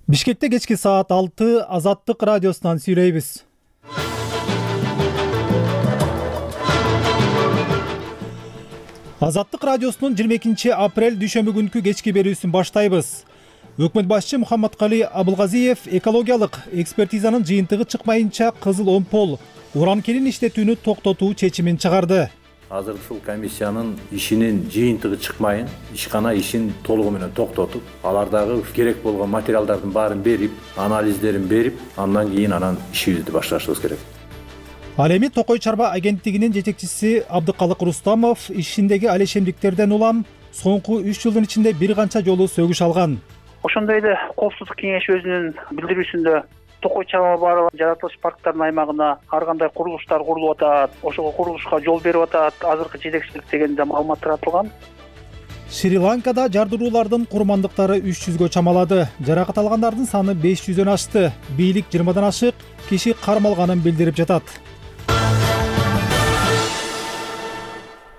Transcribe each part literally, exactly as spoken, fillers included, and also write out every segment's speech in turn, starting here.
Бишкекте кечки саат алты Азаттык радиосунан сүйлөйбүз. Азаттык радиосунун жыйырма экинчи апрель дүйшөмбү күнкү кечки берүүсүн баштайбыз. Өкмөт башчы Мухаммадкали Абылгазиев экологиялык экспертизанын жыйынтыгы чыкмайынча кызыл омпол уран кенин иштетүүнү токтотуу чечимин чыгарды. Азыр ушул комиссиянын ишинин жыйынтыгы чыкмайын, ишкана ишин толугу менен токтотуп, алардагы керек болгон материалдардын баарын берип, анализдерин берип, андан кийин анан ишибизди башташыбыз керек. Ал эми Токой Чарба агенттигинин жетекчиси Абдыкалык Рустамов ишиндеги алешемдиктерден улам соңку үч жылдын ичинде бир канча жолу сөгүш алган. Ошондой эле Коопсуздук кеңеши өзүнүн билдирүүсүндө Токой Чарба баары жаратылыш парктарынын аймагына ар кандай курулуштар курулуп атат, ошого курулушка жол берип атат, азыркы жетекчилик дегенде маалымат таратылган. Шри-Ланкада жардыруулардын курмандыктары үч жүзгө чамалады. Жаракат алгандардын саны беш жүздөн ашты. Бийлик жыйырмадан ашык киши кармалганын билдирип жатат.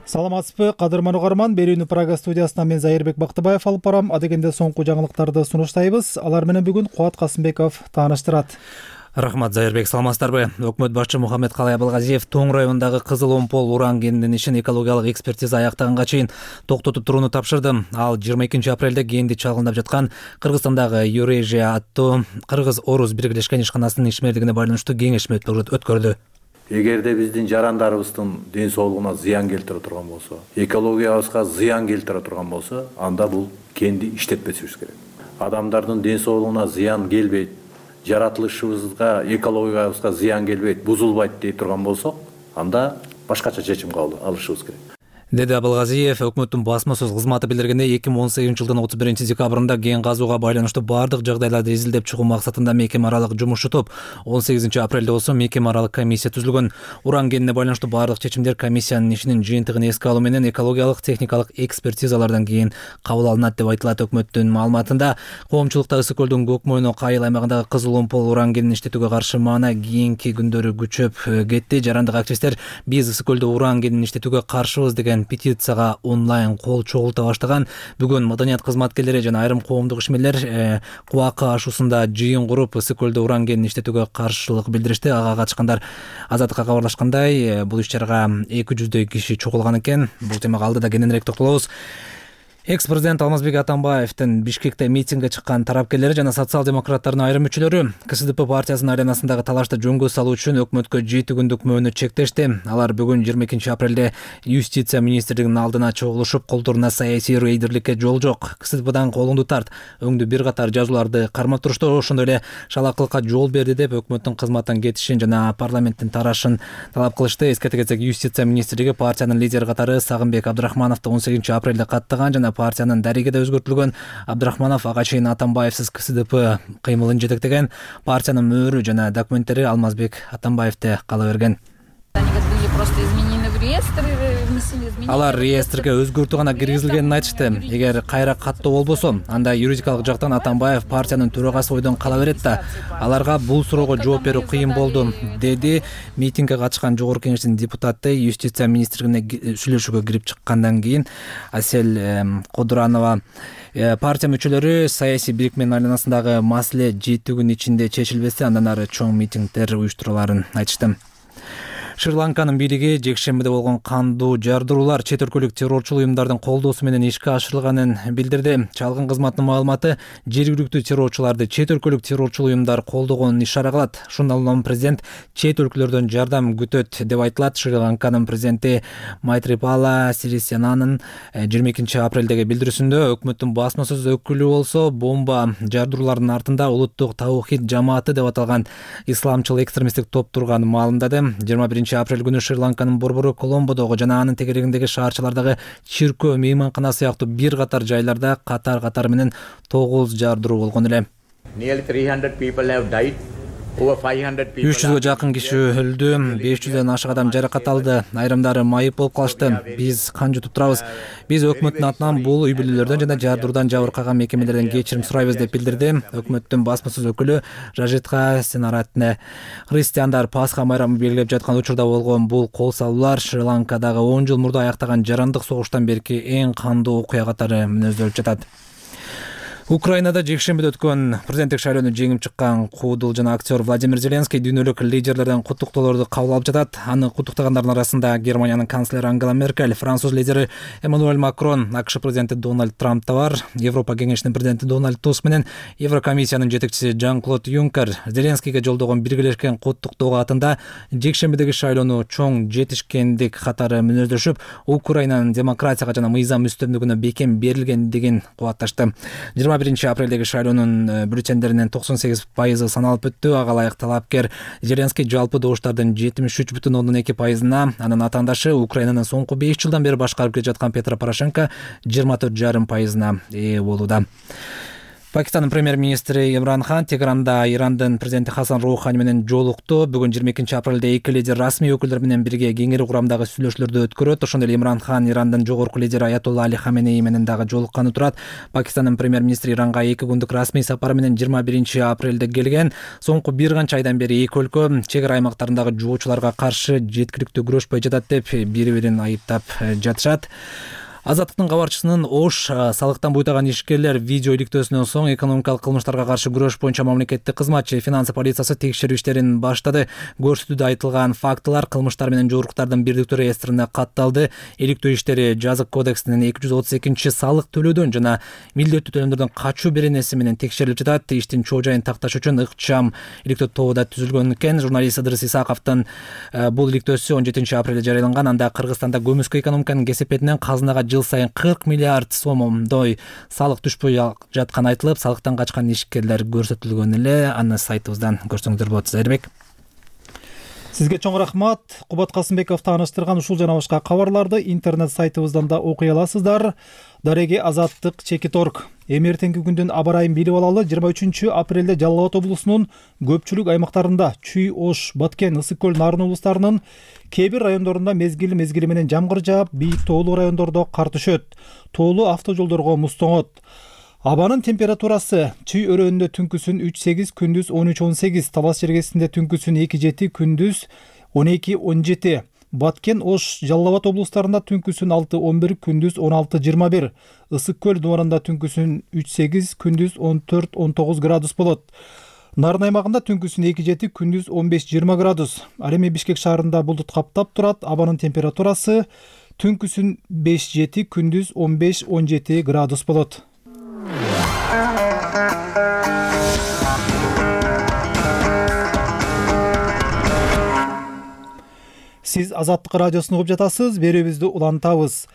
Саламатсызбы, кадырман угарман. Берүүнү Прага студиясынан мен Зайырбек Бактыбаев алып барам. Адегенде соңку жаңылыктарды сунуштайбыз. Алар менен бүгүн Кубат Касымбеков тааныштырат. Рахмат, Зайырбек, саламатсыздарбы? Өкмөт башчы Мухаммадкали Абылгазиев Тоң районундагы кызыл омпол уран кенинин ишин экологиялык экспертиза аяктаганга чейин токтотуп турууну тапшырды. Ал жыйырма экинчи апрелде кенди чалгындап жаткан Кыргызстандагы Юрежия аттуу кыргыз-орус биргелешкен ишканасынын ишмердигине байланыштуу кеңешме өткөрдү. Эгерде биздин жарандарыбыздын ден соолугуна зыян келтире турган болсо, экологиябызга зыян келтире турган болсо, анда бул кенди иштетпесибиз керек. Адамдардын ден соолугуна зыян келбейт, жаратылышыбызга, экологиябызга зыян келбейт, бузулбайт дей турган болсок, анда башкача чечим кабыл алышыбыз керек. Деди Абылгазиев өкмөттүн басма сөз кызматы билдиргендей, эки миң он сегизинчи жылдын отуз биринчи декабрында кен казууга байланыштуу бардык жагдайларды изилдеп чыгуу максатында мекеме аралык жумушчу топ он сегизинчи апрелде болсо мекеме аралык комиссия түзүлгөн. Уран кенине байланыштуу бардык чечимдер комиссиянын ишинин жыйынтыгын эске алуу менен экологиялык техникалык экспертизалардан кийин кабыл алынат деп айтылат. Өкмөттүн маалыматында коомчулукта Ысык көлдүн Көкмойно Кайыл аймагындагы кызыл омпол уран кенин иштетүүгө каршы маана кийинки күндөрү күчөп кетти. Жарандык активисттер биз Ысык көлдө уран кенин иштетүүгө каршыбыз деген петицияга онлайн кол чогулта баштаган. Бүгүн маданият кызматкерлери жана айрым коомдук ишмерлер Кубакы ашуусунда жыйын куруп Ысык көлдө уран кенин иштетүүгө каршылык билдиришти. Ага катышкандар Азаттыкка кабарлашкандай, бул иш-чарага эки жүздөй киши чогулган экен. Бул темага алдыда кененирээк токтолобуз. Экс-президент Алмазбек Атамбаевдин Бишкекте митингге чыккан тарапкерлери жана социал-демократтардын айрым мүчөлөрү КСДП партиясынын айланасындагы талашты жөнгө салуу үчүн өкмөткө жети күндүк мөөнөт чектешти. Алар бүгүн жыйырма экинчи апрелде Юстиция министрлигинин алдына чогулушуп, колдоруна саясий рейдерликке жол жок, КСДПдан колуңду тарт, өңдү бир катар жазууларды кармап турушту, ошондой эле шалакылыкка жол берди деп өкмөттүн кызматтан кетишин жана парламенттин тарашын талап кылышты. Эскерте кетсек, Юстиция министрлиги партиянын лидери катары Сагынбек Абдрахмановду он сегизинчи апрелде каттаган жана партиянын дареги да өзгөртүлгөн. Абдрахманов ага чейин Атамбаевсиз КСДП кыймылын жетектеген. Партиянын мөөрү жана документтери Алмазбек Атамбаевде кала берген. Алар реестрге өзгөртүү гана киргизилгенин айтышты. Эгер кайра каттоо болбосо, анда юридикалык жактан Атамбаев партиянын төрагасы бойдон кала берет да. Аларга бул суроого жооп берүү кыйын болду, деди митингге катышкан жогорку кеңештин депутаты. Юстиция министрлигине сүйлөшүүгө кирип чыккандан кийин Асель Кодуранова партия мүчөлөрү саясий бирикменин айланасындагы маселе жети күн ичинде чечилбесе, андан ары чоң митингдер уюштуруларын айтышты. Шри-Ланканын бийлиги жекшембиде болгон кандуу жардыруулар чет өлкөлүк террорчулук уюмдардын колдоосу менен ишке ашырылганын билдирди. Чалгын кызматтын маалыматы жергиликтүү террорчуларды чет өлкөлүк террорчулук уюмдар колдогонун ишара кылат. Ушундан улам президент чет өлкөлөрдөн жардам күтөт деп айтылат. Шри-Ланканын президенти Майтрипала Сирисянанын жыйырма экинчи апрелдеги билдирүүсүндө өкмөттүн басма сөз өкүлү болсо, бомба жардыруулардын артында улуттук таухид жамааты деп аталган исламчыл экстремисттик топ турганын маалымдады. жыйырма биринчи апрель күнү Шри-Ланканын борбору Коломбодогу жана анын тегерегиндеги шаарчалардагы чиркөө, мейманкана сыяктуу бир катар жайларда катар-катар менен тогуз жардыруу болгон эле. үч жүзгө жакын киши өлдү, беш жүздөн ашык адам жаракат алды, айрымдары майып болуп калышты. Биз кан жутуп турабыз. Биз өкмөттүн атынан бул үй бүлөлөрдөн жана жардыруудан жабыркаган мекемелерден кечирим сурайбыз деп билдирди. Өкмөттүн басма сөз өкүлү Рajitha Senaratne. Христиандар Пасха майрамын белгилеп жаткан учурда болгон бул кол салуулар Шри-Ланкадагы он жыл мурда аяктаган жарандык согуштан берки эң кандуу окуя катары мүнөздөлүп жатат. Украинада жекшембиде өткөн президенттик шайлоону жеңип чыккан куудул жана актер Владимир Зеленский дүйнөлүк лидерлерден куттуктоолорду кабыл алып жатат. Аны куттуктагандардын арасында Германиянын канцлери Ангела Меркель, француз лидери Эммануэль Макрон, АКШ президенти Дональд Трамп да бар. Европа кеңешинин президенти Дональд Туск менен Еврокомиссиянын жетекчиси Жан-Клод Юнкер Зеленскийге жолдогон биргелешкен куттуктоо катында жекшембидеги шайлоону чоң жетишкендик катары мүнөздөшүп, Украинанын демократияга жана мыйзам үстөмдүгүнө бекем берилгендигин кубатташты. жыйырма биринчи апрелдеги шайлоонун бюллетендеринин токсон сегиз пайызы саналып өттү. Ага ылайык талапкер Зеленский жалпы добуштардын жетимиш үч бүтүн ондон эки пайызына, анын атаандашы Украинанын соңку беш жылдан бери башкарып келе жаткан Петро Порошенко жыйырма төрт жарым пайызына ээ болууда. Пакистандын премьер-министри Имран Хан Тегеранда Ирандын президенти Хасан Роухани менен жолукту. Бүгүн жыйырма экинчи апрелде эки лидер расмий өкүлдөр менен бирге кеңири курамдагы сүйлөшүүлөрдү өткөрөт. Ошондой эле Имран Хан Ирандын жогорку лидери Аятолла Али Хаменеи менен дагы жолукканы турат. Пакистандын премьер-министри Иранга эки күндүк расмий сапары менен жыйырма биринчи апрелде келген. Соңку бир канча айдан бери эки өлкө чек ара аймактарындагы жуучуларга каршы жеткиликтүү күрөшпөй жатат деп бири бирин айыптап жатышат. Азаттыктын кабарчысынын Ош салыктан буйтаган ишкерлер видео иликтөөсүнөн соң экономикалык кылмыштарга каршы күрөш боюнча мамлекеттик кызмат же финансы полициясы текшерүү иштерин баштады. Көрсөтүүдө айтылган фактылар кылмыштар менен жоруктардын бирдиктүү реестрине катталды. Иликтөө иштери жазык кодексинин эки жүз отуз экинчи салык төлөөдөн жана милдеттүү төлөмдөрдөн качуу беренеси менен текшерилип жатат. Иштин чоо жайын такташ үчүн ыкчам иликтөө тобу да түзүлгөн экен. Журналист Ыдырыс Исаковдун бул иликтөөсү он жетинчи апрелде жарыяланган. Анда Кыргызстанда көмүскө экономиканын кесепетинен казынага жыл сайын кырк миллиард сомдой салык түшпөй жатканы айтылып, салыктан качкан ишкерлер көрсөтүлгөн эле. Аны сайтыбыздан көрсөңүздөр болот. Зайырбек. Сизге чоң рахмат. Кубат Касымбеков тааныштырган ушул жана башка кабарларды интернет сайтыбыздан да окуй аласыздар. Дареги Азаттык чекит точка орг. Эми эртеңки күндүн аба ырайын билип алалы. жыйырма үчүнчү апрелде Жалал Абад облусунун көпчүлүк аймактарында Чүй, Ош, Баткен, Ысык көл, Нарын облустарынын кээ бир райондорунда мезгили мезгили менен жамгыр жаап, бийик тоолуу райондордо кар түшөт. Тоолуу автожолдорго муз тоңот. Абанын температурасы Чүй өрөөнүндө түнкүсүн үч сегиз, күндүз он үч он сегиз, Талас жергесинде түнкүсүн эки жети, күндүз он эки он жети. Баткен, Ош, Жалал Абад облустарында түнкүсүн алты он бир, күндүз он алты жыйырма бир. Ысык көл дубарында түнкүсүн үч сегиз, күндүз он төрт он тогуз градус болот. Нарын аймагында түнкүсүн эки жети, күндүз он беш жыйырма градус. Ал эми Бишкек шаарында булдут каптап турат. Абанын температурасы түнкүсүн беш жети, күндүз он беш он жети градус болот. Сиз Азаттык радиосун угуп жатасыз. Берүүбүздү улантабыз.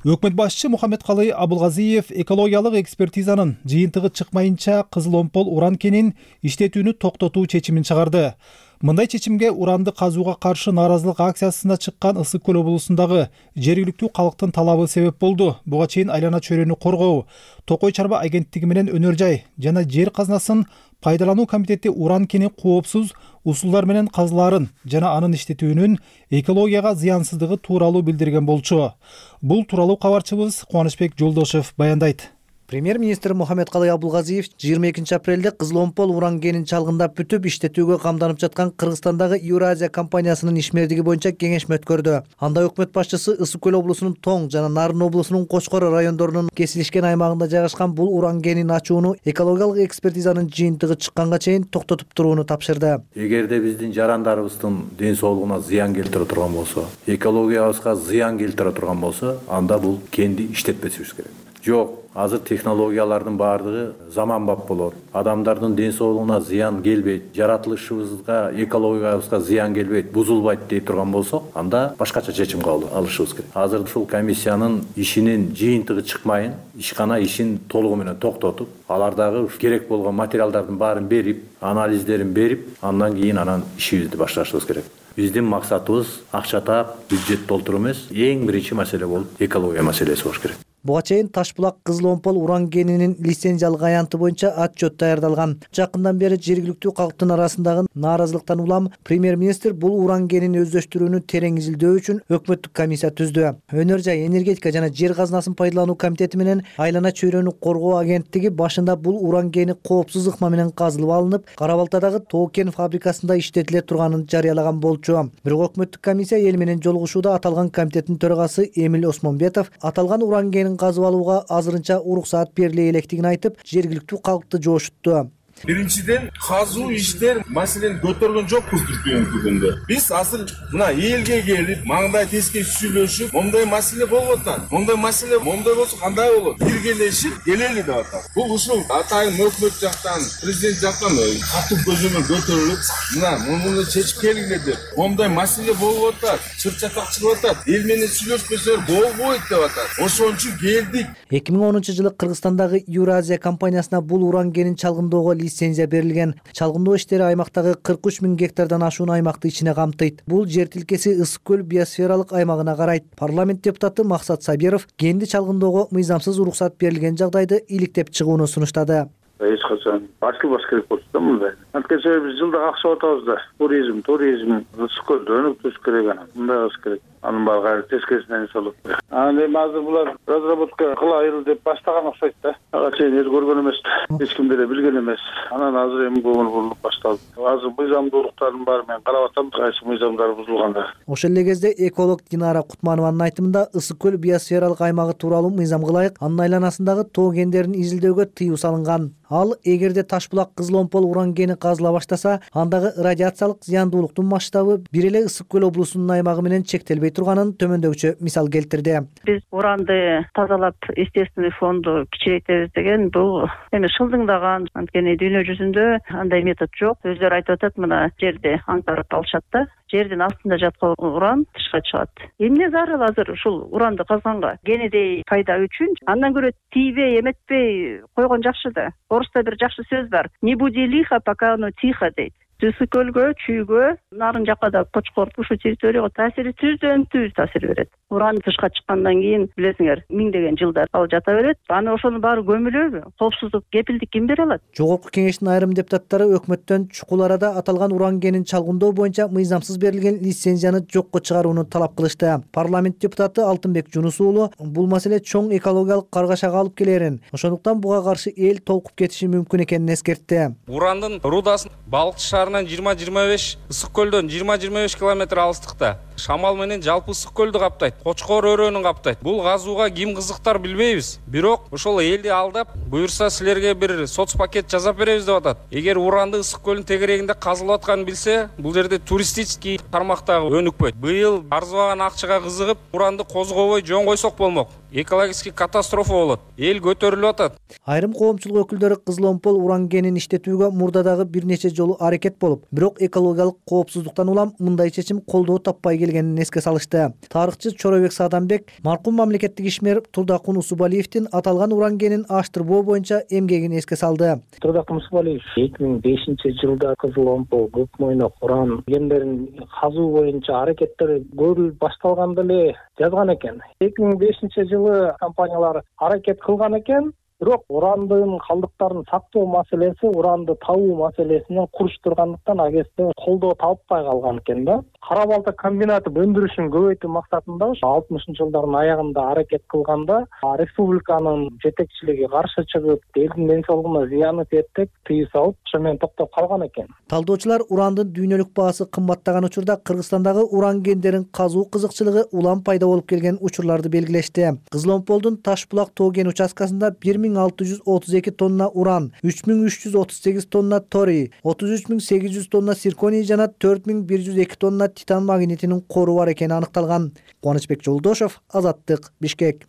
Өкмөт башчы Мухаммедкалый Абылгазиев экологиялык экспертизанын жыйынтыгы чыкмайынча кызыл омпол уран кенин иштетүүнү токтотуу чечимин чыгарды. Мындай чечимге уранды казууга каршы нааразылык акциясына чыккан Ысык көл облусундагы жергиликтүү калктын талабы себеп болду. Буга чейин айлана чөйрөнү коргоо, Токой чарба агенттиги менен өнөр жай жана жер казынасын пайдалануу комитети уран кенин коопсуз усулдар менен казылаарын жана анын иштетүүнүн экологияга зыянсыздыгы тууралуу билдирген болчу. Бул тууралуу кабарчыбыз Кубанычбек Жолдошев баяндайт. Премьер-министр Мухаммедкалый Абылгазиев жыйырма экинчи апрелде кызыл омпол уран кенин чалгындап бүтүп иштетүүгө камданып жаткан Кыргызстандагы Евразия компаниясынын ишмердиги боюнча кеңешме өткөрдү. Анда өкмөт башчысы Ысык көл облусунун Тоң жана Нарын облусунун Кочкор райондорунун кесилишкен аймагында жайгашкан бул уран кенин ачууну экологиялык экспертизанын жыйынтыгы чыкканга чейин токтотуп турууну тапшырды. Эгерде биздин жарандарыбыздын ден соолугуна зыян келтире турган болсо, экологиябызга зыян келтире турган болсо, анда бул кенди иштетпесибиз керек. Жок, азыр технологиялардын баардыгы заманбап болот. Адамдардын ден соолугуна зыян келбейт, жаратылышыбызга, экологиябызга зыян келбейт, бузулбайт дей турган болсок, анда башкача чечим кабыл алышыбыз керек. Азыр ушул комиссиянын ишинин жыйынтыгы чыкмайын, ишкана ишин толугу менен токтотуп, алардагы керек болгон материалдардын баарын берип, анализдерин берип, андан кийин анан ишибизди башташыбыз керек. Биздин максатыбыз акча таап, бюджет толтуруу эмес, эң биринчи маселе болуп экология маселеси болуш керек. Буга чейин Ташбулак кызыл омпол уран кенинин лицензиялык аянты боюнча отчет даярдалган. Жакындан бери жергиликтүү калктын арасындагы нааразылыктан улам премьер-министр бул уран кенин өздөштүрүүнү терең изилдөө үчүн өкмөттүк комиссия түздү. Өнөр жай, энергетика жана жер казынасын пайдалануу комитети менен айлана чөйрөнү коргоо агенттиги башында бул уран кени коопсуз ыкма менен казылып алынып, Кара Балтадагы Тоо кен фабрикасында иштетиле турганын жарыялаган болчу. Бирок өкмөттүк комиссия эл менен жолугушууда аталган комитеттин төрагасы Эмил Осмонбетов аталган уран кенин кен казып алууга азырынча уруксаат бериле электигин айтып, жергиликтүү калкты жошутту. Биринчиден, казуу иштер маселени көтөргөн жокпуз Түркүндө. Биз азыр мына элге келип, маңдай теске сүйлөшүп, момдай маселе болуп атат. Момдай маселе момдай болсо кандай болот? Биргелешип келели деп атат. Бул ушул атайын өкмөт жактан, президент жактан катуу көзөмөл көтөрүлүп, мына муну чечип келгиле деп. Момдай маселе болуп атат, чыр-чатак чыгып атат. Эл менен сүйлөшпөсө болбойт деп атат. Ошон үчүн келдик. эки миң онунчу жылы Кыргызстандагы Юразия компаниясына бул уран кенин чалгындоого лицензия берилген. Чалгындоо иштери аймактагы кырк үч миң гектардан ашуун аймакты ичине камтыйт. Бул жер тилкеси Ысык көл биосфералык аймагына карайт. Парламент депутаты Максат Сабиров кенди чалгындоого мыйзамсыз уруксат берилген жагдайды иликтеп чыгууну сунуштады. Эч качан ачылбаш керек болчу да мындай. Анткени биз жылда акча атабыз да. Туризм, туризм, Ысык көлдө өнүктүрүш керек анан. Мындай кылыш керек. Анын баары кайра тескерисинен эс алат. Анан эми азыр булар разработка кылайыл деп баштаган окшойт да. Ага чейин эс көргөн эмес. Эч ким деле билген эмес. Анан азыр эми көңүл бурулуп башталды. Азыр мыйзамдуулуктардын баары менен карап атам, кайсы мыйзамдар бузулганда. Ошол эле кезде эколог Динара Кутманованын айтымында Ысык көл биосфералык аймагы тууралуу мыйзам кылайык, анын айланасындагы тоо кендерин изилдөөгө тыюу салынган. Ал эгерде Ташбулак Кызыломпол уран кени казыла баштаса, андагы радиациялык зыяндуулуктун масштабы бир эле Ысык көл облусунун аймагы менен чектелбей турганын төмөндөгүчө мисал келтирди. Биз уранды тазалап естественный фонду кичирейтебиз деген бул эми шылдыңдаган, анткени дүйнө жүзүндө андай метод жок. Өздөрү айтып атат, мына жерди аңтарып алышат да. Жердин астында жаткан уран тышка чыгат. Эмне зарыл азыр ушул уранды казганга? Кенедей пайда үчүн андан көрө тийбей, эметпей койгон жакшы да. Орусда бир жакшы сөз бар. Не буди лихо, пока оно тихо дейт. Ысык көлгө, чүйгө, нарын жакка да Кочкор ушул территорияга таасири түздөн түз таасир берет. Уран тышка чыккандан кийин билесиңер, миңдеген жылдар ал жата берет. Аны ошонун баары көмүлөбү? Коопсуздук, кепилдик ким бере алат? Жогорку кеңештин айрым депутаттары өкмөттөн чукул арада аталган уран кенин чалгындоо боюнча мыйзамсыз берилген лицензияны жокко чыгарууну талап кылышты. Парламент депутаты Алтынбек Жунус уулу бул маселе чоң экологиялык каргашага алып келерин, ошондуктан буга каршы эл толкуп кетиши мүмкүн экенин эскертти. Урандын рудасын Балыкчы шаарынан жыйырма жыйырма беш, Ысык көлдөн жыйырма жыйырма беш километр алыстыкта. Шамал менен жалпы Ысык көлдү каптайт, Кочкор өрөөнүн каптайт. Бул казууга ким кызыктар билбейбиз. Бирок ошол элди алдап, буюрса силерге бир соц пакет жасап беребиз деп атат. Эгер уранды Ысык көлүнүн тегерегинде казылып атканын билсе, бул жерде туристический тармактагы өнүкпөйт. Быйыл арзыбаган акчага кызыгып, уранды козгобой жөн койсок болмок. Экологический катастрофа болот. Эл көтөрүлүп атат. Айрым коомчулук өкүлдөрү Кызыломпол уран кенин иштетүүгө мурдадагы бир нече жолу аракет болуп, бирок экологиялык коопсуздуктан улам мындай чечим колдоо таппай келгенин эске салышты. Тарыхчы Чоробек Садамбек маркум мамлекеттик ишмер Турдакун Усубалиевдин аталган уран кенин аштырбоо боюнча эмгегин эске салды. Турдакун Усубалиев эки миң бешинчи жылда Кызыломпол көк мойнок уран кендерин казуу боюнча аракеттер көрүлүп башталганда эле жазган экен. эки миң бешинчи жылы компаниялар аракет кылган экен, бирок урандын калдыктарын сактоо маселеси, уранды табуу маселесинен куруштургандыктан агесте колдоо таппай калган экен да. Кара балта комбинаты өндүрүшүн көбөйтүү максатында алтымышынчы жылдардын аягында аракет кылганда республиканын жетекчилиги каршы чыгып, элдин ден соолугуна зыяны тиет деп тыюу салып, ошо менен токтоп калган экен. Талдоочулар урандын дүйнөлүк баасы кымбаттаган учурда Кыргызстандагы уран кендерин казуу кызыкчылыгы улам пайда болуп келген учурларды белгилешти. Кызыломполдун Ташбулак тоо кен участкасында бир миң алты жүз отуз эки тонна уран, үч миң үч жүз отуз сегиз тонна торий, отуз үч миң сегиз жүз тонна цирконий жана төрт миң бир жүз эки тонна титан магнитинин кору бар экени аныкталган. Кубанычбек Жолдошов, Азаттык, Бишкек.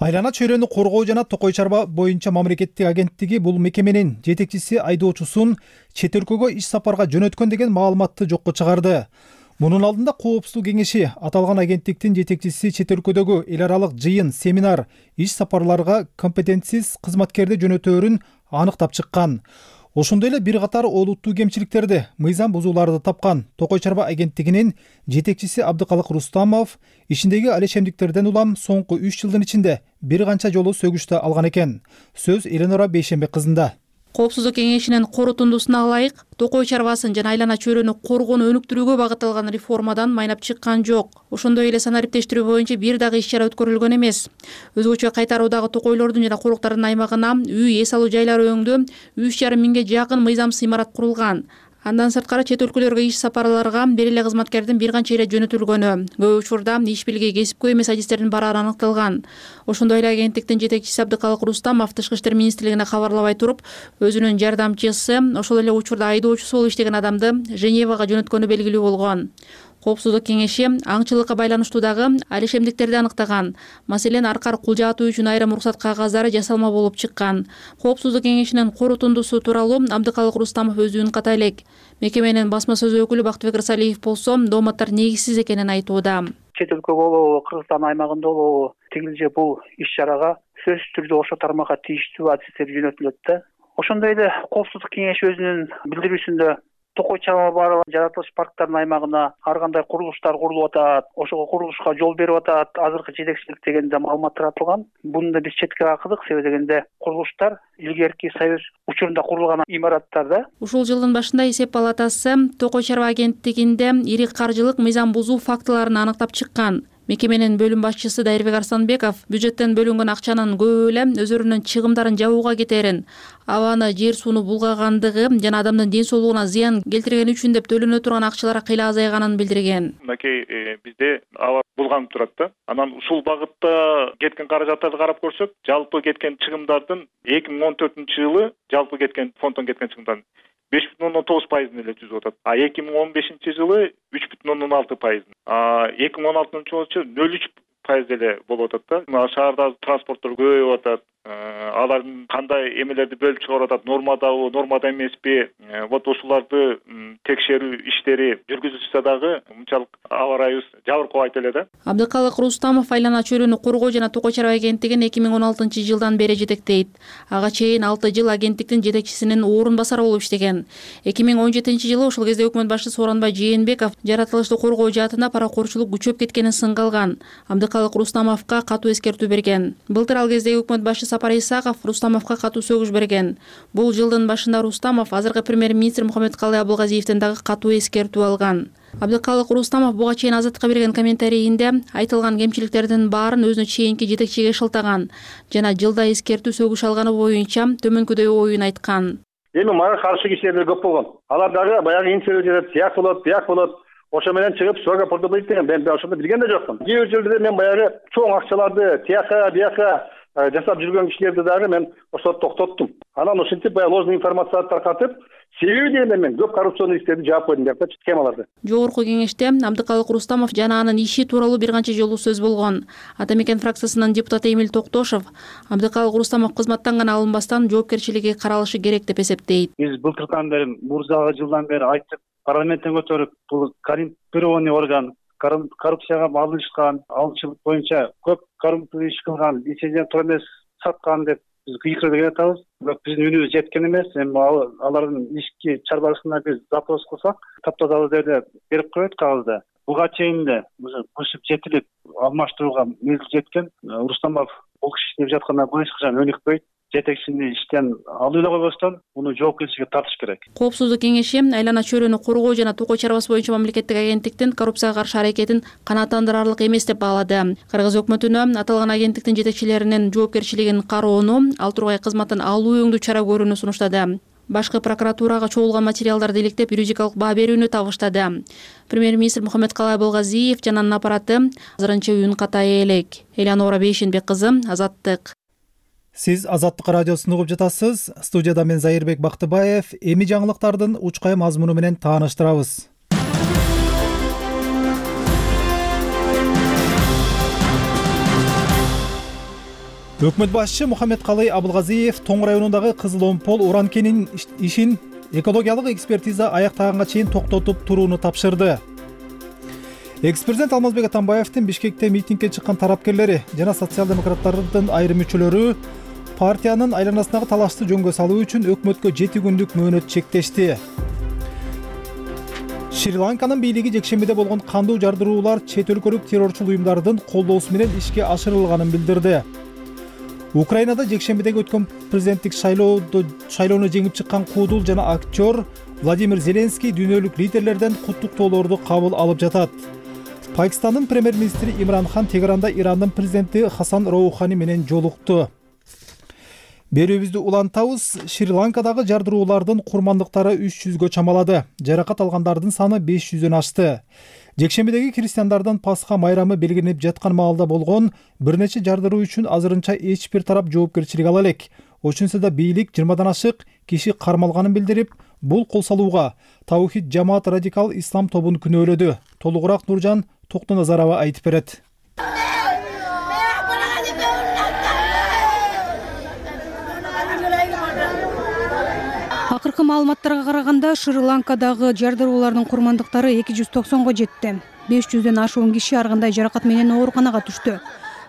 Айлана чөйрөнү коргоо жана токой чарба боюнча мамлекеттик агенттиги бул мекеменин жетекчиси айдоочусун чет өлкөгө иш сапарга жөнөткөн деген маалыматты жокко чыгарды. Мунун алдында Коопсуздук кеңеши аталган агенттиктин жетекчиси чет өлкөдөгү эл аралык жыйын, семинар, иш сапарларга компетентсиз кызматкерди жөнөтөөрүн аныктап чыккан. Ошондой эле бир катар олуттуу кемчиликтерди, мыйзам бузууларды тапкан. Токой чарба агенттигинин жетекчиси Абдыкалык Рустамов ишиндеги алешемдиктерден улам соңку үч жылдын ичинде бир канча жолу сөгүштө алган экен. Сөз Эленора Бейшембек кызында. Коопсуздук кеңешинин корутундусуна ылайык токой чарбасын жана айлана чөйрөнү коргоону өнүктүрүүгө багытталган реформадан майнап чыккан жок. Ошондой эле санариптештирүү боюнча бир дагы иш-чара өткөрүлгөн эмес. Өзгөчө кайтаруудагы токойлордун жана куруктардын аймагына үй эс алуу жайлары өңдө үч жарым миңге жакын мыйзамсыз имарат курулган. Андан сырткары чет өлкөлөргө иш сапарларга бир эле кызматкердин бир канча эле жөнөтүлгөнү, көп учурда иш билги кесипкөй эмес адистердин барары аныкталган. Ошондой эле агенттиктин жетекчиси Абдыкалык Рустамов Тышкы иштер министрлигине кабарлабай туруп, өзүнүн жардамчысы, ошол эле учурда айдоочусу болуп иштеген адамды Женевага жөнөткөнү белгилүү болгон. Коопсуздук кеңеши аңчылыкка байланыштуу дагы алишемдиктерди аныктаган. Маселен, аркар кул жаатуу үчүн айрым уруксат кагаздары жасалма болуп чыккан. Коопсуздук кеңешинин корутундусу тууралуу Абдыкалык Рустамов өзү үн ката элек. Мекеменин басма сөз өкүлү Бактыбек Рысалиев болсо, дооматтар негизсиз экенин айтууда. Чет өлкө болобу, Кыргызстан аймагында болобу, тигил же бул иш-чарага сөзсүз түрдө ошол тармакка тийиштүү адистер жөнөтүлөт да. Ошондой эле Коопсуздук кеңеши өзүнүн билдирүүсүндө токой чалма бары жаратылыш парктарынын аймагына ар кандай курулуштар курулуп атат, ошого курулушка жол берип атат, азыркы жетекчилик дегенде маалымат таратылган. Буну да биз четке какыдык, себеби дегенде курулуштар илгерки Союз учурунда курулган имараттар да. Ушул жылдын башында эсеп палатасы токой чарба агенттигинде ири каржылык мыйзам бузуу фактыларын аныктап чыккан. Мекеменин бөлүм башчысы Дайырбек Арсланбеков бюджеттен бөлүнгөн акчанын көбү эле өздөрүнүн чыгымдарын жабууга кетерин, абаны, жер сууну булгагандыгы жана адамдын ден соолугуна зыян келтиргени үчүн деп төлөнө турган акчалар кыйла азайганын билдирген. Мынакей бизде аба булганып турат да. Анан ушул багытта кеткен каражаттарды карап көрсөк, жалпы кеткен чыгымдардын эки миң он төртүнчү жылы жалпы кеткен фонддон кеткен чыгымдардын беш бүтүн ондон тогуз пайызын эле түзүп атат. А эки миң он бешинчи жылы үч бүтүн ондон алты пайызын. А эки миң он алтынчы жылы нөл үч пайыз эле болуп атат да. Шаардагы транспорттор көбөйүп атат. Алардын кандай эмелерди бөлүп чыгарып атат, нормадабы, нормада эмеспи? Вот ушуларды текшерүү иштери жүргүзүлсө дагы мынчалык аба ырайыбыз жабыркабайт эле да. Абдыкалык Рустамов айлана чөйрөнү коргоо жана токой чарба агенттигин эки миң он алтынчы жылдан бери жетектейт. Ага чейин алты жыл агенттиктин жетекчисинин орун басары болуп иштеген. эки миң он жетинчи жылы ошол кезде өкмөт башчысы Сооронбай Жээнбеков жаратылышты коргоо жаатында паракорчулук күчөп кеткенин сынга алган. Абдыкалык Рустамовго катуу эскертүү берген. Былтыр ал кезде өкмөт башчысы Сапар Исаков Рустамовго катуу сөгүш берген. Бул жылдын башында Рустамов азыркы премьер-министр Мухаммедкалый Абылгазиевден дагы катуу эскертүү алган. Абдыкалык Рустамов буга чейин Азаттыкка берген комментарийинде айтылган кемчиликтердин баарын өзүнө чейинки жетекчиге шылтаган жана жылда эскертүү сөгүш алганы боюнча төмөнкүдөй оюн айткан. Эми мага каршы кишилер көп болгон. Алар дагы баягы интервью берип, тияк болот, бияк болот. Ошо менен чыгып суга портобойт деген мен ошондо билген да жокмун. Кээ бир жерде мен баягы чоң акчаларды тияка, бияка жасап жүргөн кишилерди дагы мен ошо токтоттум. Анан ошентип баягы ложный информацияларды таркатып, себеби дегенде мен көп коррупционный иштерди жаап койдум деп схемаларды. Жогорку кеңеште Абдыкалык Рустамов жана анын иши тууралуу бир канча жолу сөз болгон. Ата Мекен фракциясынын депутаты Эмил Токтошов Абдыкалык Рустамов кызматтан гана алынбастан жоопкерчилиги каралышы керек деп эсептейт. Биз былтыртан бери мурзагы жылдан бери айттык, парламенттен көтөрүп, бул коррумпированный орган, коррупцияга малынышкан, алчылык боюнча көп коррумпция иш кылган, лицензия тура эмес саткан деп биз кыйкырып жатабыз. Бирок биздин үнүбүз жеткен эмес. Эми алардын ишки чарбасына биз запрос кылсак, таптаза жерде берип коет кагазда. Буга чейин эле кышып жетилип алмаштырууга мезгил жеткен. Рустамов бул киши деп жаткандан эч качан өнүкпөйт. Жетекчини иштен алып эле койбостон, муну жоопкерчиликке тартыш керек. Коопсуздук кеңеши айлана чөйрөнү коргоо жана токой чарбасы боюнча мамлекеттик агенттиктин коррупцияга каршы аракетин канааттандырарлык эмес деп баалады. Кыргыз өкмөтүнө аталган агенттиктин жетекчилеринин жоопкерчилигин кароону, ал тургай кызматтан алуу өңдүү чара көрүүнү сунуштады. Башкы прокуратурага чогулган материалдарды иликтеп юридикалык баа берүүнү табыштады. Премьер-министр Мухаммедкалый Абылгазиев жана анын аппараты азырынча үн катай элек. Элеонора Бейшенбек кызы, Азаттык. Сиз Азаттык радиосун угуп жатасыз. Студияда мен Зайырбек Бактыбаев. Эми жаңылыктардын учкай мазмуну менен тааныштырабыз. Өкмөт башчысы Мухаммедкалый Абылгазиев Тоң районундагы Кызыл Омпол уран кенинин ишин экологиялык экспертиза аяктаганга чейин токтотуп турууну тапшырды. Экс-президент Алмазбек Атамбаевдин Бишкекте митингге чыккан тарапкерлери жана социал-демократтардын айрым мүчөлөрү партиянын айланасындагы талашты жөнгө салуу үчүн өкмөткө жети күндүк мөөнөт чектешти. Шри-Ланканын бийлиги жекшембиде болгон кандуу жардыруулар чет өлкөлүк террорчул уюмдардын колдоосу менен ишке ашырылганын билдирди. Украинада жекшембидеги өткөн президенттик шайлоодо шайлоону жеңип чыккан куудул жана актер Владимир Зеленский дүйнөлүк лидерлерден куттуктоолорду кабыл алып жатат. Пакистандын премьер-министри Имран Хан Тегеранда Ирандын президенти Хасан Роухани менен жолукту. Берүүбүздү улантабыз. Шри-Ланкадагы жардыруулардын курмандыктары үч жүзгө чамалады. Жаракат алгандардын саны беш жүздөн ашты. Жекшембидеги христиандардын Пасха майрамы белгиленип жаткан маалда болгон бир нече жардыруу үчүн азырынча эч бир тарап жоопкерчилик ала элек. Ошентсе да бийлик жыйырмадан ашык киши кармалганын билдирип, бул кол салууга Таухид жамаат радикал ислам тобун күнөөлөдү. Толугураак Нуржан Токтоназарова айтып берет. Акыркы маалыматтарга караганда Шри-Ланкадагы жардыруулардын курмандыктары эки жүз токсонго жетти. беш жүздөн ашуун киши ар кандай жаракат менен ооруканага түштү.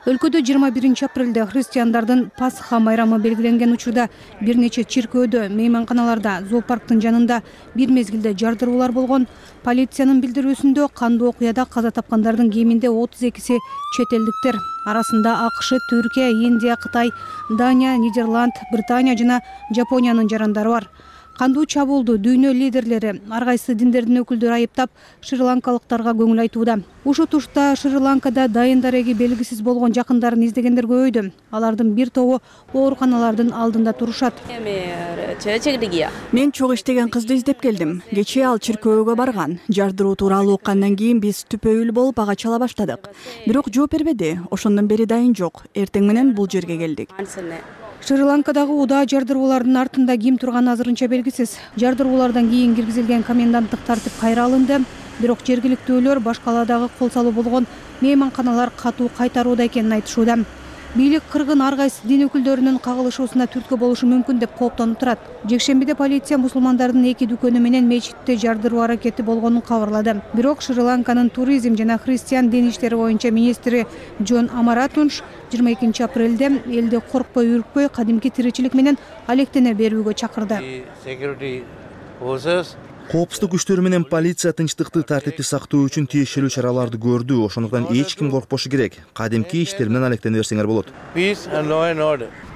Өлкөдө жыйырма биринчи апрелде христиандардын Пасха майрамы белгиленген учурда бир нече чиркөөдө, мейманканаларда, зоопарктын жанында бир мезгилде жардыруулар болгон. Полициянын билдирүүсүндө кандуу окуяда каза тапкандардын кеминде отуз экиси чет элдиктер. Арасында АКШ, Түркия, Индия, Кытай, Дания, Нидерланд, Британия жана Жапониянын жарандары бар. Кандуу чабуулду дүйнө лидерлери, ар кайсы диндердин өкүлдөрү айыптап, шри-ланкалыктарга көңүл айтууда. Ушул тушта Шри-Ланкада дайын дареги белгисиз болгон жакындарын издегендер көбөйдү. Алардын бир тобу ооруканалардын алдында турушат. Мен чогуу иштеген кызды издеп келдим. Кечээ ал чиркөөгө барган. Жардыруу тууралуу уккандан кийин биз түпөйүл болуп ага чала баштадык. Бирок жооп бербеди. Ошондон бери дайын жок. Эртең менен бул жерге келдик. Шри-Ланкадагы удаа жардыруулардын артында ким турганы азырынча белгисиз. Жардыруулардан кийин киргизилген коменданттык тартип кайра алынды. Бирок жергиликтүүлөр башкаладагы кол салуу болгон мейманканалар катуу кайтарууда экенин айтышууда. Бийлик кыргын ар кайсы дин өкүлдөрүнүн кагылышуусуна түрткү болушу мүмкүн деп кооптонуп турат. Жекшембиде полиция мусулмандардын эки дүкөнү менен мечитте жардыруу аракети болгонун кабарлады. Бирок Шри-Ланканын туризм жана христиан дин иштери боюнча министри Джон Амаратунш жыйырма экинчи апрелде элди коркпой, үркпөй, кадимки тиричилик менен алектене берүүгө чакырды. Коопсуздук күчтөрү менен полиция тынчтыкты тартипти сактоо үчүн тиешелүү чараларды көрдү. Ошондуктан эч ким коркпошу керек. Кадимки иштер менен алектене берсеңер болот.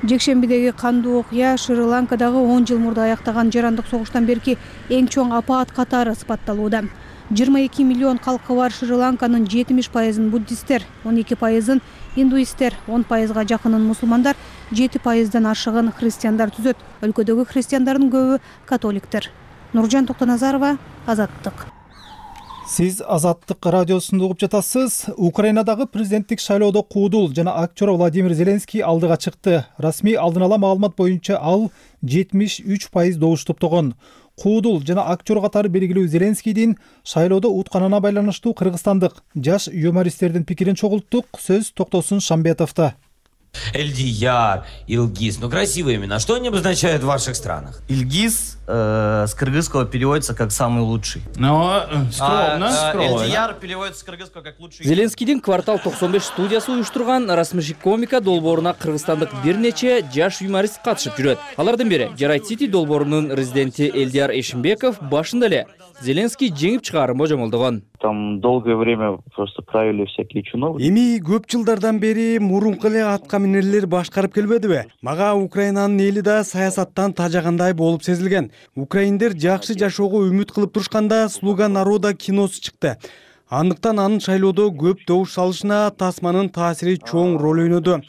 Жекшембидеги кандуу окуя Шри-Ланкадагы он жыл мурда аяктаган жарандык согуштан берки эң чоң апаат катары сыпатталууда. жыйырма эки миллион калкы бар Шри-Ланканын жетимиш пайызын буддисттер, он эки пайызын индуисттер, он пайызга жакынын мусулмандар, жети пайыздан ашыгын христиандар түзөт. Өлкөдөгү христиандардын көбү католиктер. Нуржан Токтоназарова, Азаттык. Сиз Азаттык радиосунда угуп жатасыз. Украинадагы президенттик шайлоодо куудул жана актер Владимир Зеленский алдыга чыкты. Расмий алдын ала маалымат боюнча ал жетимиш үч пайыз добуш топтогон. Куудул жана актер катары белгилүү Зеленскийдин шайлоодо утканына байланыштуу кыргызстандык жаш юмористтердин пикирин чогулттук. Сөз Токтосун Шамбетовдо. Эльдияр, Илгиз. Ну, красивые имена. Что они обозначают в ваших странах? Илгиз э, с кыргызского переводится как «самый лучший». Ну, скромно. А, скромно. Эльдияр переводится с кыргызского как «лучший». Зеленскийдин квартал токсон беш студиясы уюштурган расмешик комика долбооруна кыргызстандык бир нече жаш юморист катышып жүрөт. Алардын бири Жарайт Сити долбоорунун резиденти Эльдияр Эшимбеков башында эле Зеленский жеңип чыгарын божомолдогон. Там долгое время просто правили всякие чиновники. Эми көп жылдардан бери мурунку эле атка минерлер башкарып келбедиби? Мага Украинанын эли да саясаттан тажагандай болуп сезилген. Украиндер жакшы жашоого үмүт кылып турушканда «Слуга народа» киносу чыкты. Андыктан анын шайлоодо көп добуш салышына Тасманын таасири чоң роль ойноду.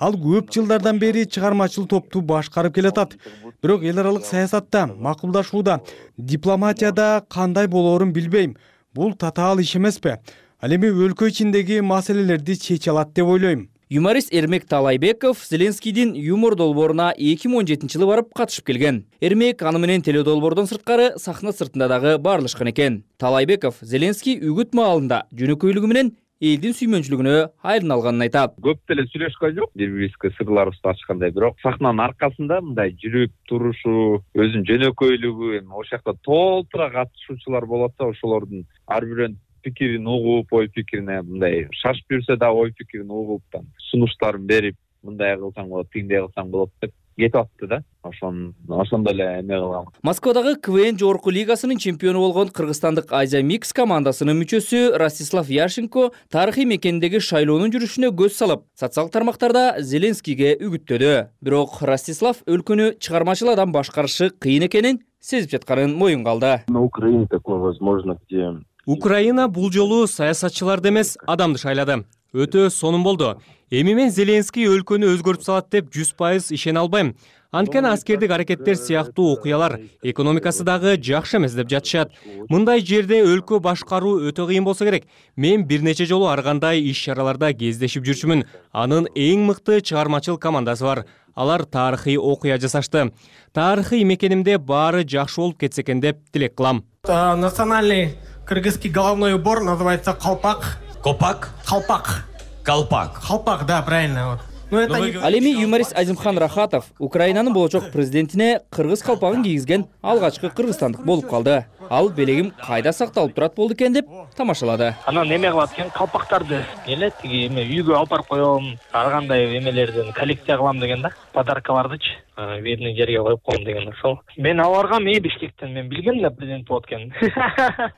Ал көп жылдардан бери чыгармачыл топту башкарып келатат. Бирок эл аралык саясатта, макулдашууда, дипломатияда кандай болоорун билбейм. Бул татаал иш эмеспи? Ал эми өлкө ичиндеги маселелерди чече алат деп ойлойм. Юморист Эрмек Талайбеков Зеленскийдин юмор долбооруна эки миң он жетинчи жылы барып катышып келген. Эрмек аны менен теледолбоордон сырткары сахна сыртында дагы баарлашкан экен. Талайбеков Зеленский үгүт маалында жөнөкөйлүгү менен элдин сүймөнчүлүгүнө айрын алганын айтат. Көп деле сүйлөшкөн жок, бири-бирибизге сырларыбызды ачкандай, бирок сахнанын аркасында мындай жүрүп турушу, өзүнүн жөнөкөйлүгү, эми ошол жакта толтура катышуучулар болот да, ошолордун ар бирөөнүн пикирин угуп, ой пикирине мындай шашып жүрсө да ой пикирин угуп, сунуштарын берип, мындай кылсаң болот, тигиндей кылсаң болот деп кетип атты да. Ошон ошондо эле эме кылгам. Москвадагы КВН жогорку лигасынын чемпиону болгон кыргызстандык Азия Микс командасынын мүчөсү Ростислав Яшенко тарыхый мекендеги шайлоонун жүрүшүнө көз салып, социалдык тармактарда Зеленскийге үгүттөдү. Бирок Ростислав өлкөнү чыгармачыл адам башкарышы кыйын экенин сезип жатканын моюнга алды. На Украине такое возможно, где Украина бул жолу саясатчыларды эмес, адамды шайлады. Өтө сонун болду. Эми мен Зеленский өлкөнү өзгөртүп салат деп жүз пайыз ишене албайм. Анткени аскердик аракеттер сыяктуу окуялар экономикасы дагы жакшы эмес деп жатышат. Мындай жерде өлкө башкаруу өтө кыйын болсо керек. Мен бир нече жолу ар кандай иш-чараларда кездешип жүрчүмүн. Анын эң мыкты чыгармачыл командасы бар. Алар тарыхый окуя жасашты. Тарыхый мекенимде баары жакшы болуп кетсе экен деп тилек кылам. Национальный кыргызский головной убор называется колпак. Колпак? Колпак. Колпак. Колпак, да, правильно. Вот. Ал эми юморист Азимхан Рахатов Украинанын болочок президентине кыргыз калпагын кийгизген алгачкы кыргызстандык болуп калды. Ал белегим кайда сакталып турат болду экен деп тамашалады. Анан эме кылат экен, калпактарды эле тиги эме үйгө алып барып коем, ар кандай эмелерден коллекция кылам деген да. Подаркалардычы видный жерге коюп коем деген ошол. Мен аларга мээ Бишкектен мен билгем да президент болот экенин.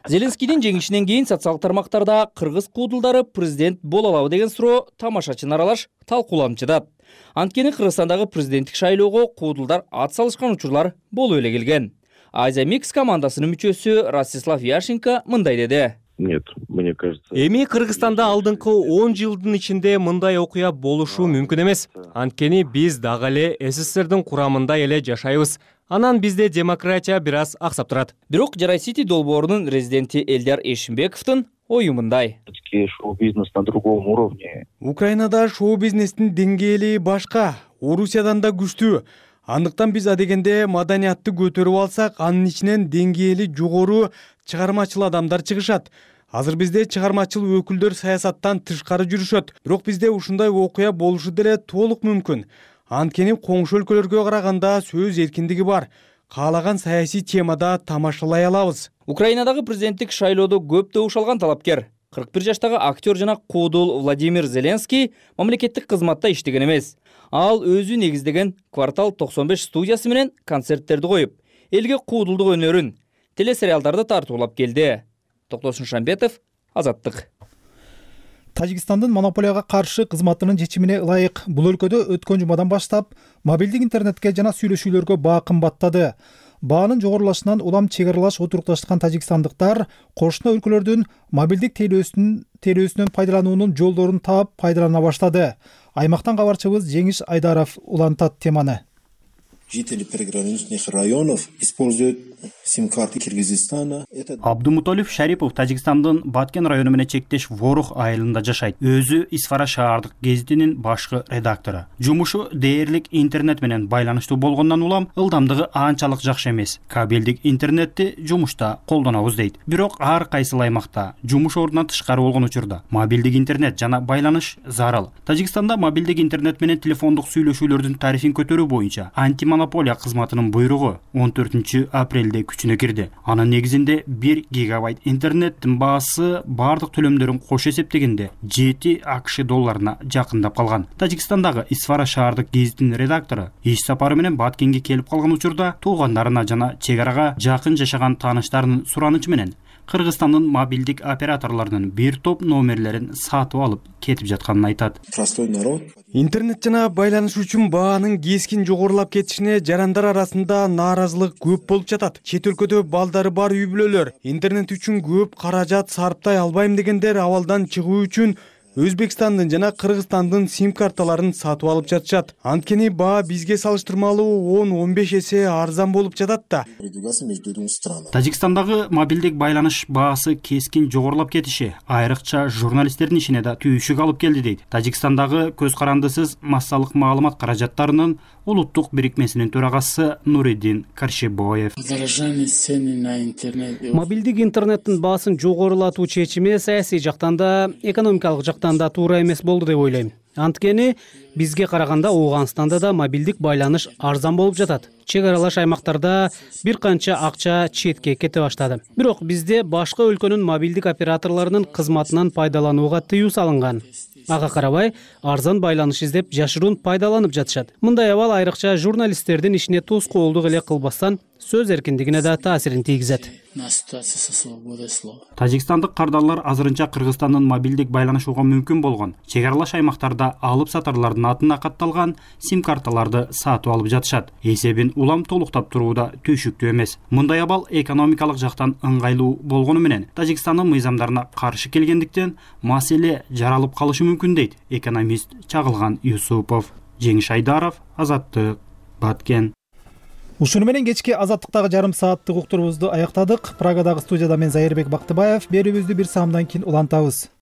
Зеленскийдин жеңишинен кийин социалдык тармактарда кыргыз куудулдары президент боло алабы деген суроо тамашачыны аралаш талкууланып. Анткени Кыргызстандагы президенттик шайлоого куудулдар ат салышкан учурлар болуп эле келген. Азия Микс командасынын мүчөсү Ростислав Яшенко мындай деди. Нет, мне кажется. Эми Кыргызстанда алдыңкы он жылдын ичинде мындай окуя болушу мүмкүн эмес. Анткени биз дагы эле СССРдин курамында эле жашайбыз. Анан бизде демократия бир аз аксап турат. Бирок Жарай Сити долбоорунун резиденти Элдар Эшимбековдун ою мындай. Шоу-бизнес на другом уровне. Украинада шоу-бизнестин деңгээли башка, Орусиядан да күчтүү. Андыктан биз адегенде маданиятты көтөрүп алсак, анын ичинен деңгээли жогору чыгармачыл адамдар чыгышат. Азыр бизде чыгармачыл өкүлдөр саясаттан тышкары жүрүшөт. Бирок бизде ушундай окуя болушу деле толук мүмкүн. Анткени коңшу өлкөлөргө караганда сөз эркиндиги бар. Каалаган саясий темада тамашалай алабыз. Украинадагы президенттик шайлоодо көп добуш алган талапкер кырк бир жаштагы актер жана куудул Владимир Зеленский мамлекеттик кызматта иштеген эмес. Ал өзү негиздеген Квартал токсон беш студиясы менен концерттерди коюп, элге куудулдук өнөрүн, телесериалдарды тартуулап келди. Токтосун Шамбетов, Азаттык. Тажикстандын монополияга каршы кызматынын чечимине ылайык бул өлкөдө өткөн жумадан баштап мобилдик интернетке жана сүйлөшүүлөргө баа кымбаттады. Баанын жогорулашынан улам чек аралаш отурукташкан тажикстандыктар кошуна өлкөлөрдүн мобилдик телөөсүнүн телөөсүнөн пайдалануунун жолдорун таап пайдалана баштады. Аймактан кабарчыбыз Жеңиш Айдаров улантат теманы. Жители приграничных районов используют сим-карты Кыргызстана. Абдумуталиев Шарипов Тажикстандын Баткен району менен чектеш Ворух айылында жашайт. Өзү Исфара шаардык гезитинин башкы редактору. Жумушу дээрлик интернет менен байланыштуу болгондон улам ылдамдыгы анчалык жакшы эмес. Кабелдик интернетти жумушта колдонобуз дейт. Бирок ар кайсыл аймакта жумуш ордунан тышкары болгон учурда мобилдик интернет жана байланыш зарыл. Тажикстанда мобилдик интернет менен телефондук сүйлөшүүлөрдүн тарифин көтөрүү боюнча антимонополия кызматынын буйругу он төртүнчү апрелде күчүнө кирди. Анын негизинде бир гигабайт интернеттин баасы бардык төлөмдөрүн кош эсептегенде жети АКШ долларына жакындап калган. Тажикстандагы Исфара шаардык гезитинин редактору иш сапары менен Баткенге келип калган учурда туугандарына жана чек арага жакын жашаган тааныштарынын суранычы менен Кыргызстандын мобилдик операторлорунун бир топ номерлерин сатып алып кетип жатканын айтат. Простой народ. Интернет жана байланыш үчүн баанын кескин жогорулап кетишине жарандар арасында нааразылык көп болуп жатат. Чет өлкөдө балдары бар үй бүлөлөр интернет үчүн көп каражат сарптай албайм дегендер абалдан чыгуу үчүн Өзбекстандын жана Кыргызстандын сим карталарын сатып алып жатышат. Анткени баа бизге салыштырмалуу он он беш эсе арзан болуп жатат да. Тажикстандагы мобилдик байланыш баасы кескин жогорулап кетиши айрыкча журналисттердин ишине да түйүшүк алып келди дейт. Тажикстандагы көз карандысыз массалык маалымат каражаттарынын улуттук бирикмесинин төрагасы Нуриддин Каршебоев. Мобилдик интернеттин баасын жогорулатуу чечими саясий жактан да экономикалык жактан да туура эмес болду деп ойлойм. Анткени бизге караганда Ооганстанда да мобилдик байланыш арзан болуп жатат. Чек аралаш аймактарда бир канча акча четке кете баштады. Бирок бизде башка өлкөнүн мобилдик операторлорунун кызматынан пайдаланууга тыюу салынган. ага карабай арзан байланыш издеп жашыруун пайдаланып жатышат. Мындай абал айрыкча журналисттердин ишине тоскоолдук эле кылбастан сөз эркиндигине да таасирин тийгизет. Тажикстандык кардарлар азырынча Кыргызстандын мобилдик байланышууга мүмкүн болгон чек аралаш аймактарда алып сатарлардын атына катталган сим карталарды сатып алып жатышат. Эсебин улам толуктап туруу да түйшүктүү эмес. Мындай абал экономикалык жактан ыңгайлуу болгону менен Тажикстандын мыйзамдарына каршы келгендиктен маселе жаралып калышы мүмкүн дейт экономист Чагылган Юсупов. Жеңиш Айдаров, Азаттык, Баткен. Ушуну менен кечки Азаттыктагы жарым сааттык уктурубузду аяктадык. Прагадагы студияда мен Зайырбек Бактыбаев. Берүүбүздү бир саамдан кийин улантабыз.